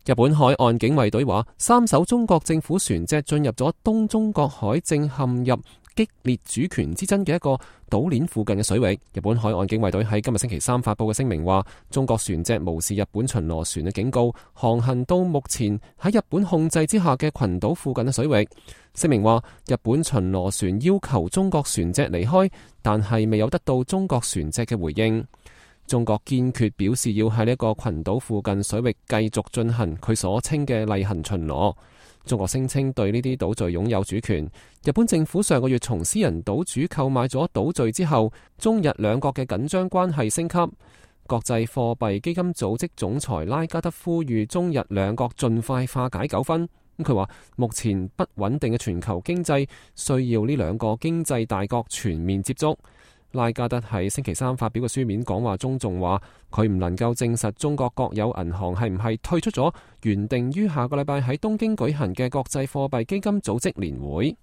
日本海岸警衛隊話，3艘中國政府船隻進入咗東中國海，正陷入激烈主權之爭嘅一個島鏈附近嘅水域。日本海岸警衛隊喺今日星期三發佈嘅聲明話，中國船隻無視日本巡邏船嘅警告，航行到目前喺日本控制之下嘅群島附近嘅水域。聲明話，日本巡邏船要求中國船隻離開，但係未有得到中國船隻嘅回應。中國堅決表示要喺呢一個群島附近水域繼續進行佢所稱嘅例行巡邏。中國聲稱對呢啲島嶼擁有主權。日本政府上個月從私人島主購買咗島嶼之後，中日兩國嘅緊張關係升級。國際貨幣基金組織總裁拉加德呼籲中日兩國盡快化解糾紛。佢話目前不穩定嘅全球經濟需要呢兩個經濟大國全面接觸。拉加德喺星期三發表嘅書面講話中仲話，佢唔能夠證實中國國有銀行係唔係退出咗原定於下個禮拜喺東京舉行嘅國際貨幣基金組織年會。